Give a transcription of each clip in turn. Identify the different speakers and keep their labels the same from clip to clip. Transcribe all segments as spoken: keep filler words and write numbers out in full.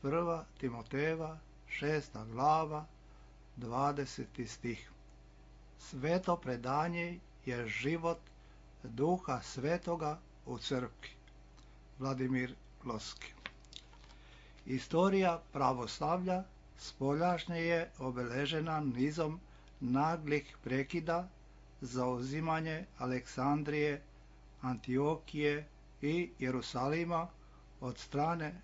Speaker 1: Prva Timotejeva, šesta glava, dvadeseti stih. Sveto predanje je život Duha Svetoga u crkvi. Vladimir Loski. Istorija pravoslavlja spoljašnje je obeležena nizom naglih prekida, zauzimanje Aleksandrije, Antiokije i Jerusalima od strane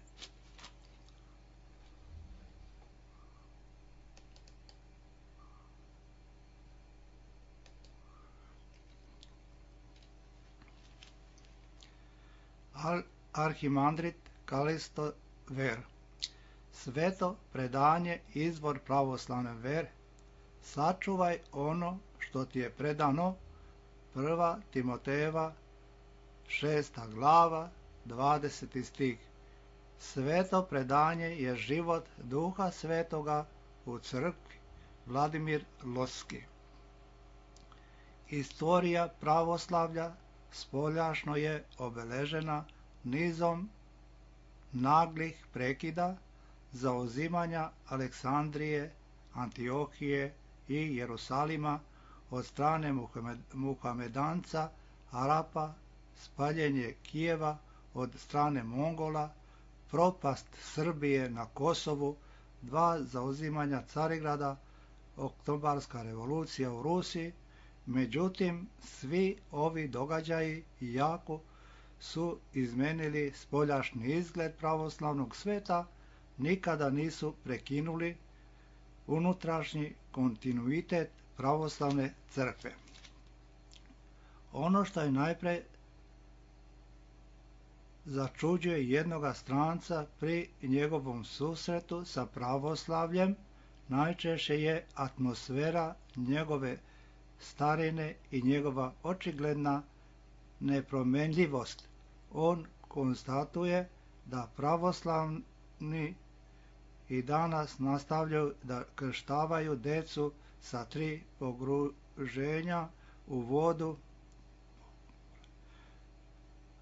Speaker 1: Arhimandrit Kalisto Ver. Sveto predanje izvor pravoslavne vere. Sačuvaj ono što ti je predano. Prva Timotejeva, šesta glava, dvadeseti stih. Sveto predanje je život Duha Svetoga u crkvi. Vladimir Loski. Istorija pravoslavlja spoljašno je obeležena nizom naglih prekida, zauzimanja Aleksandrije, Antiokije i Jerusalima od strane Muhamedanca, Arapa, spaljenje Kijeva od strane Mongola, propast Srbije na Kosovu, dva zauzimanja Carigrada, oktobarska revolucija u Rusiji. Međutim, svi ovi događaji jako su izmenili spoljašnji izgled pravoslavnog sveta, nikada nisu prekinuli unutrašnji kontinuitet pravoslavne crkve. Ono što je najpre začuđuje jednoga stranca pri njegovom susretu sa pravoslavljem, najčešće je atmosfera njegove starine i njegova očigledna nepromenljivost. On konstatuje da pravoslavni i danas nastavljaju da krštavaju decu sa tri pogruženja u vodu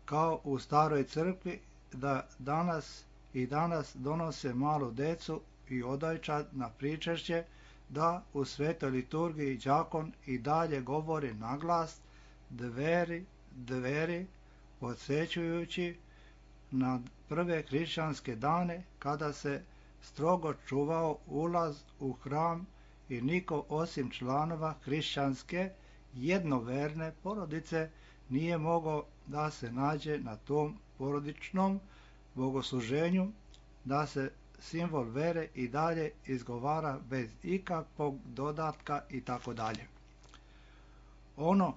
Speaker 1: kao u staroj crkvi, da danas i danas donose malu decu i odojčad na pričešće, da u svetoj liturgiji đakon i dalje govori naglas dveri, dveri, podsjećujući na prve hrišćanske dane kada se strogo čuvao ulaz u hram i niko osim članova hrišćanske jednoverne porodice nije mogao da se nađe na tom porodičnom bogosluženju, da se simbol vere i dalje izgovara bez ikakvog dodatka i tako dalje. Ono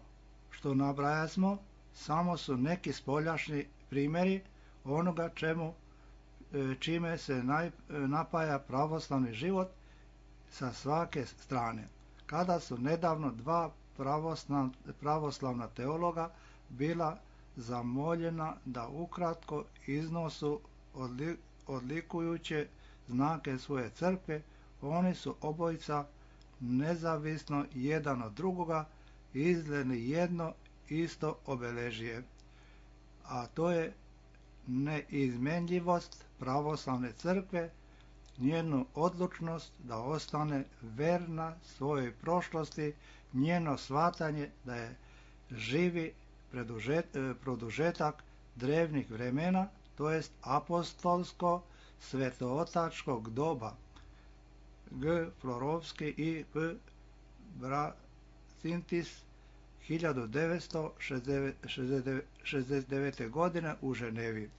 Speaker 1: što nabrajasmo samo su neki spoljašnji primjeri onoga čemu čime se napaja pravoslavni život sa svake strane. Kada su nedavno dva pravoslavna teologa bila zamoljena da ukratko iznosu odlikujuće znake svoje crkve, oni su obojica nezavisno jedan od drugoga izgledni jedno isto obeležje, a to je neizmenljivost pravoslavne crkve, njenu odlučnost da ostane verna svojoj prošlosti, njeno shvatanje da je živi produžetak drevnih vremena, to jest apostolsko svetootačkog doba. G. Florovski i P. Bracintis hiljadu devetsto šezdeset devete. godine u Ženevi.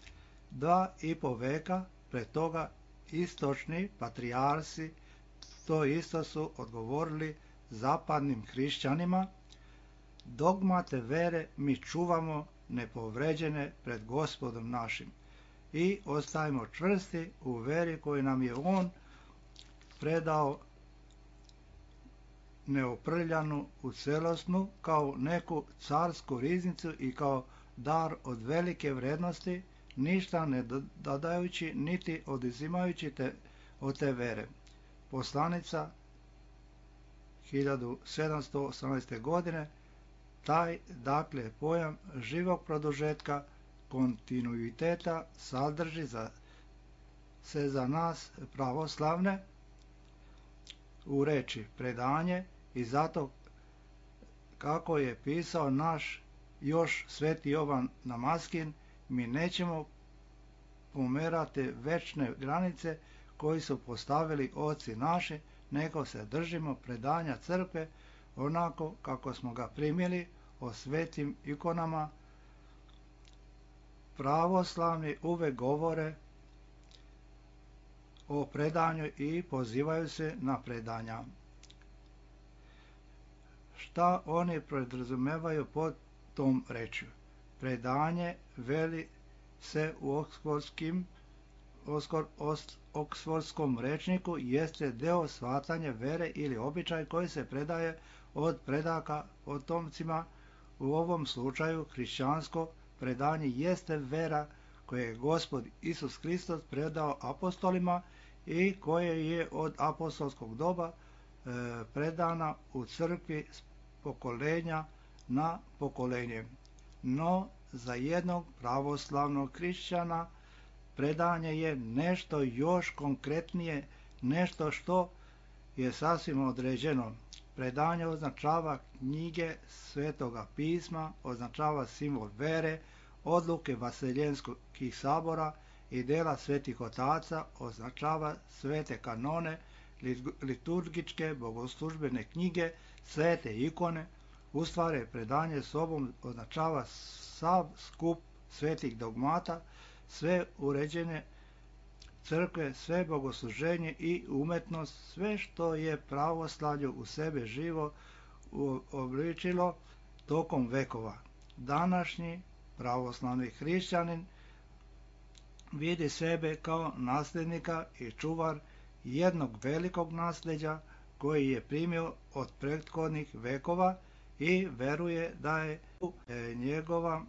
Speaker 1: Dva i po veka pre toga istočni patrijarsi to isto su odgovorili zapadnim hrišćanima: dogmate vere mi čuvamo nepovređene pred Gospodom našim i ostajemo čvrsti u veri koju nam je On predao neoprljanu u celosnu kao neku carsku riznicu i kao dar od velike vrednosti, ništa ne dodajući niti oduzimajući te, od te vere. Poslanica hiljadu sedamsto osamnaeste. godine. Taj, dakle, pojam živog produžetka kontinuiteta sadrži za se za nas pravoslavne u reči predanje i zato kako je pisao naš još sveti Jovan Damaskin, mi nećemo pomerati večne granice koji su postavili oci naši, nego se držimo predanja crkve onako kako smo ga primili o svetim ikonama. Pravoslavni uvek govore o predanju i pozivaju se na predanja. Šta oni podrazumevaju pod tom rečju? Predanje, veli se u oksfordskim, oksfordskom rečniku, jeste deo shvatanja vere ili običaj koji se predaje od predaka potomcima. U ovom slučaju hrišćansko predanje jeste vera koje je Gospod Isus Hristos predao apostolima i koje je od apostolskog doba e, predana u crkvi s pokolenja na pokolenje. No, za jednog pravoslavnog hrišćana predanje je nešto još konkretnije, nešto što je sasvim određeno. Predanje označava knjige Svetoga pisma, označava simbol vere, odluke vaseljenskih sabora i dela svetih otaca, označava svete kanone, liturgičke, bogoslužbene knjige, svete ikone. U stvari, predanje sobom označava sav skup svetih dogmata, sve uređene crkve, sve bogosluženje i umetnost, sve što je pravoslavlju u sebe živo obličilo tokom vekova. Današnji pravoslavni hrišćanin vidi sebe kao nasljednika i čuvar jednog velikog nasljeđa koji je primio od prethodnih vekova i veruje da je njegova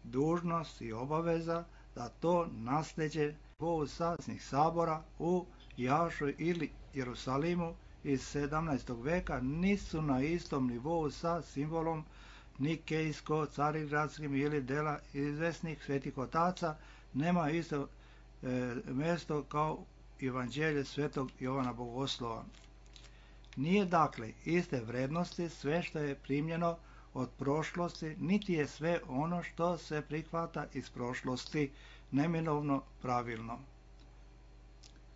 Speaker 1: dužnost i obaveza da to nasljeđe po sasnih sabora u Jašu ili Jerusalimu iz sedamnaestog veka nisu na istom nivou sa simbolom nikejsko-carigradskim ili dela izvesnih svetih otaca, nema isto e, mjesto kao Evanđelje svetog Jovana Bogoslova. Nije dakle iste vrednosti sve što je primljeno od prošlosti, niti je sve ono što se prihvata iz prošlosti neminovno pravilno.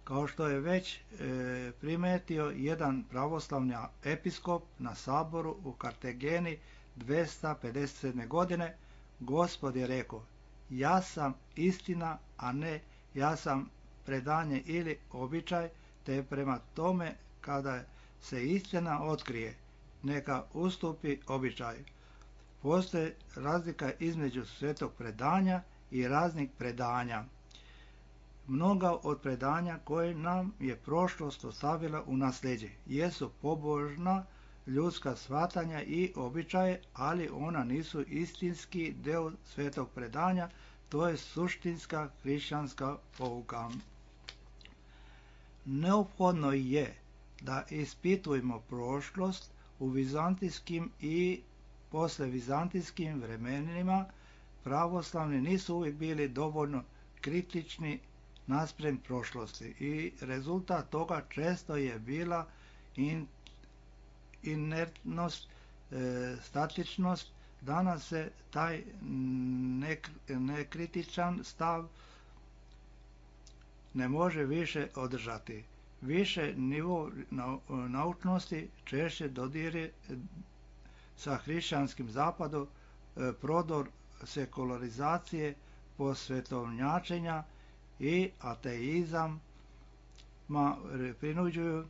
Speaker 1: Kao što je već e, primetio jedan pravoslavni episkop na saboru u Kartageni dvesta pedeset sedme. godine, Gospod je rekao: ja sam istina, a ne ja sam predanje ili običaj, te prema tome kada se istina otkrije, neka ustupi običaju. Postoji razlika između svetog predanja i raznih predanja. Mnoga od predanja koje nam je prošlost ostavila u nasljeđe jesu pobožna ljudska shvatanja i običaje, ali ona nisu istinski deo svetog predanja, to je suštinska hrišćanska pouka. Neophodno je da ispitujemo prošlost u vizantijskim i posle vizantijskim vremenima. Pravoslavni nisu uvijek bili dovoljno kritični naspram prošlosti i rezultat toga često je bila in, inertnost, e, statičnost. Danas se taj nek, nekritičan stav ne može više održati. Više nivo naučnosti češće dodire sa hrišćanskim zapadom, prodor sekularizacije, posvetovnjačenja i ateizam ma prinuđuju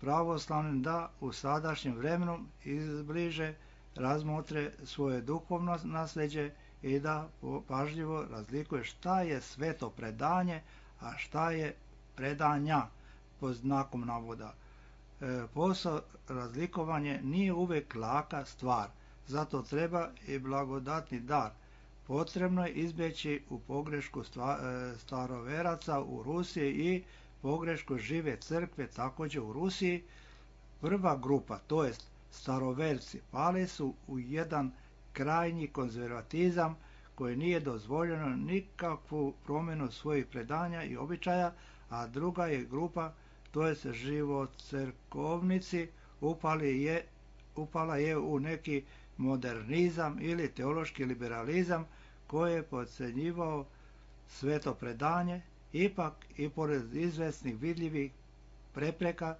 Speaker 1: pravoslavnim da u sadašnjem vremenu izbliže razmotre svoje duhovno nasljeđe i da pažljivo razlikuje šta je sveto predanje, a šta je predanja pod znakom navoda. E, posao razlikovanje nije uvek laka stvar, zato treba i blagodatni dar. Potrebno je izbjeći u pogrešku stva, e, staroveraca u Rusiji i pogrešku žive crkve također u Rusiji. Prva grupa, to jest staroverci, pali su u jedan krajnji konzervatizam koje nije dozvoljeno nikakvu promjenu svojih predanja i običaja, a druga je grupa, to je živocerkovnici, upali je, upala je u neki modernizam ili teološki liberalizam koji je podcjenjivao sveto predanje. Ipak i pored izvesnih vidljivih prepreka,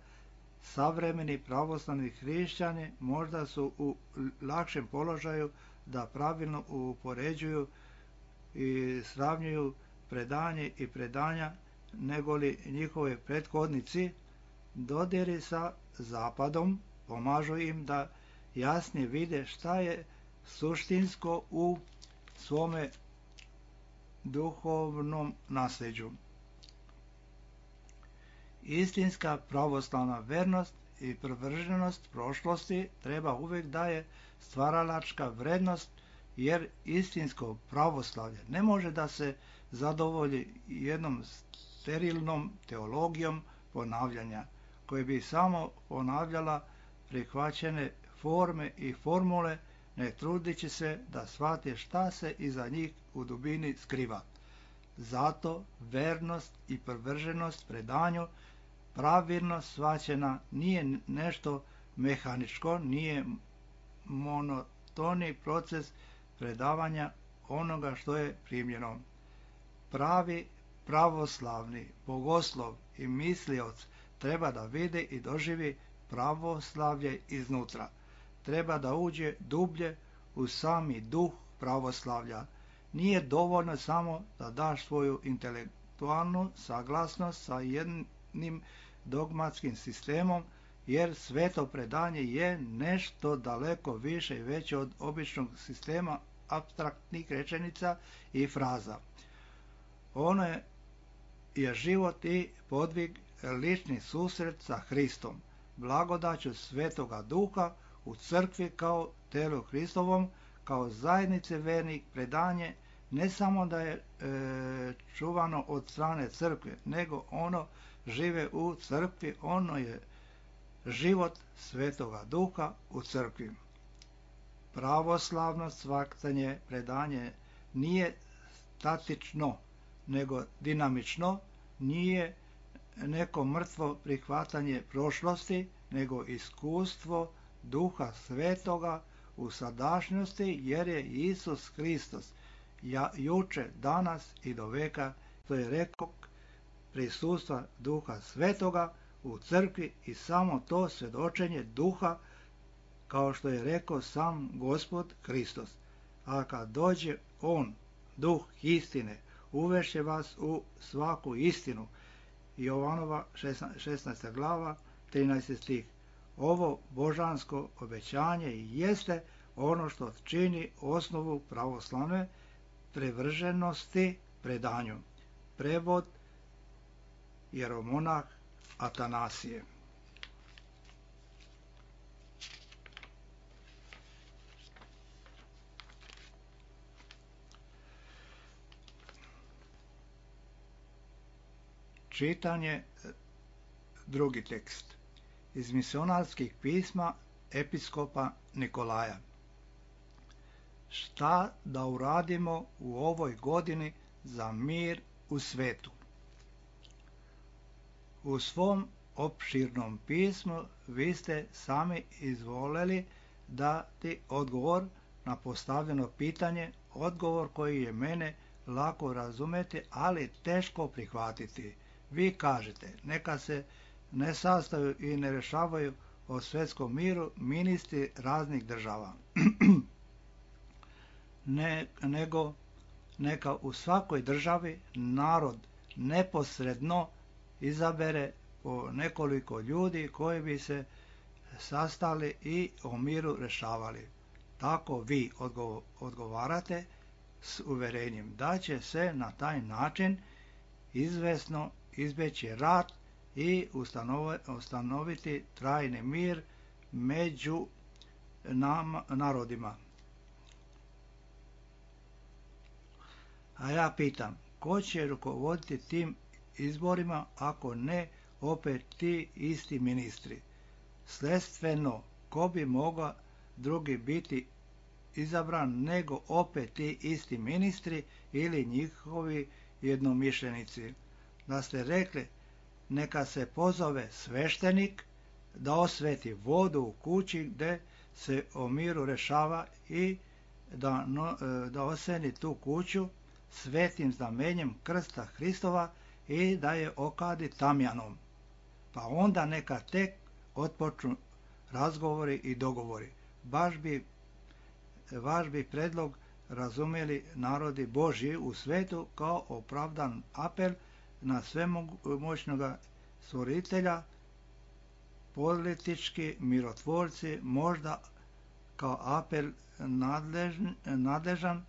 Speaker 1: savremeni pravoslavni hrišćani možda su u lakšem položaju da pravilno upoređuju i sravnjuju predanje i predanja negoli njihovi prethodnici. Dodiri sa zapadom pomažu im da jasnije vide šta je suštinsko u svome duhovnom nasljeđu. Istinska pravoslavna vernost i privrženost prošlosti treba uvijek da je stvaralačka vrednost, jer istinsko pravoslavlje ne može da se zadovolji jednom sterilnom teologijom ponavljanja, koje bi samo ponavljala prihvaćene forme i formule, ne trudići se da shvate šta se iza njih u dubini skriva. Zato vernost i privrženost predanju, pravilno shvaćena, nije nešto mehaničko, nije monotoni proces predavanja onoga što je primljeno. Pravi pravoslavni bogoslov i mislioc treba da vidi i doživi pravoslavlje iznutra. Treba da uđe dublje u sami duh pravoslavlja. Nije dovoljno samo da daš svoju intelektualnu saglasnost sa jednim dogmatskim sistemom, jer sveto predanje je nešto daleko više i veće od običnog sistema apstraktnih rečenica i fraza. Ono je, je život i podvig, lični susret sa Hristom, blagodaću Svetoga Duha u crkvi kao telu Hristovom, kao zajednice vernih. Predanje ne samo da je e, čuvano od strane crkve, nego ono žive u crkvi, ono je život Svetoga Duha u crkvi. Pravoslavno shvatanje predanje nije statično, nego dinamično, nije neko mrtvo prihvatanje prošlosti, nego iskustvo Duha Svetoga u sadašnjosti, jer je Isus Hristos ja, juče, danas i do veka, to je rekao, prisustva Duha Svetoga u crkvi i samo to svjedočenje Duha, kao što je rekao sam Gospod Hristos. A kad dođe On, Duh istine, uvešće vas u svaku istinu. Jovanova šesnaesta glava, trinaesti stih. Ovo božansko obećanje jeste ono što čini osnovu pravoslavne privrženosti predanju. Prevod jeromonah Atanasije. Čitanje, drugi tekst, iz misionarskih pisma episkopa Nikolaja. Šta da uradimo u ovoj godini za mir u svetu? U svom opširnom pismu vi ste sami izvoleli dati odgovor na postavljeno pitanje, odgovor koji je mene lako razumeti, ali teško prihvatiti. Vi kažete, neka se ne sastaju i ne rešavaju o svetskom miru ministri raznih država, ne, nego neka u svakoj državi narod neposredno izabere po nekoliko ljudi koji bi se sastali i o miru rešavali. Tako vi odgovarate s uverenjem da će se na taj način izvesno izbeći rat i ustanoviti trajni mir među nam, narodima. A ja pitam, ko će rukovoditi tim izborima ako ne opet ti isti ministri? Sledstveno, ko bi mogao drugi biti izabran, nego opet ti isti ministri ili njihovi jednomišljenici. Da ste rekli, neka se pozove sveštenik da osveti vodu u kući gdje se o miru rešava i da, no, da oseni tu kuću svetim znamenjem krsta Hristova i da je okadi tamjanom. Pa onda neka tek otpočnu razgovori i dogovori. Baš bi, vaš bi predlog razumeli narodi Božji u svetu kao opravdan apel na svemoćnoga stvoritelja, politički mirotvorci možda kao apel nadležn, nadležan,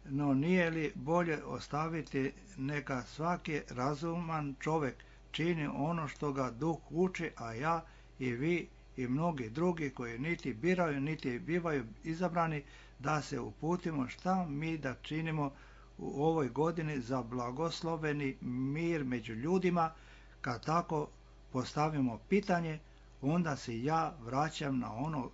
Speaker 1: no nije li bolje ostaviti neka svaki razuman čovjek čini ono što ga duh uči, a ja i vi i mnogi drugi koji niti biraju niti bivaju izabrani da se uputimo šta mi da činimo u ovoj godini za blagosloveni mir među ljudima. Kad tako postavimo pitanje, onda se ja vraćam na ono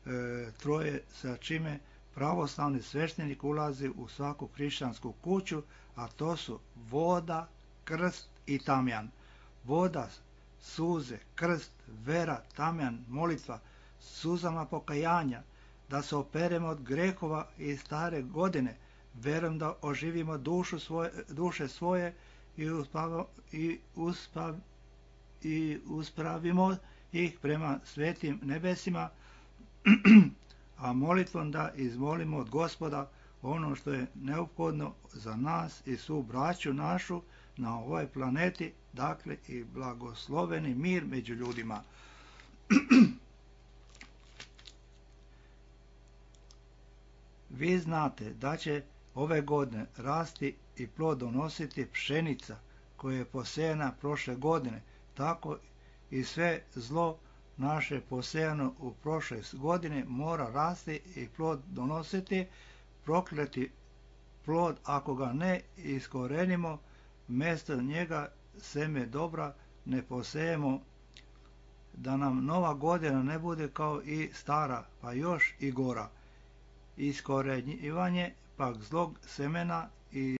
Speaker 1: e, troje sa čime pravoslavni sveštenik ulazi u svaku hrišćansku kuću, a to su voda, krst i tamjan. Voda, suze, krst, vera, tamjan, molitva, suzama pokajanja, da se operemo od grehova i stare godine, verujem da oživimo dušu svoje, duše svoje i, uspav, i, uspav, i uspravimo ih prema svetim nebesima, a molitvom da izmolimo od Gospoda ono što je neophodno za nas i svu braću našu na ovoj planeti, dakle i blagosloveni mir među ljudima. Vi znate da će ove godine rasti i plod donositi pšenica koja je posejana prošle godine, tako i sve zlo naše posejano u prošle godine mora rasti i plod donositi. Prokleti plod, ako ga ne iskorenimo, mjesto njega seme dobra ne posejemo, da nam nova godina ne bude kao i stara, pa još i gora. Iskorenjivanje pak zlog semena i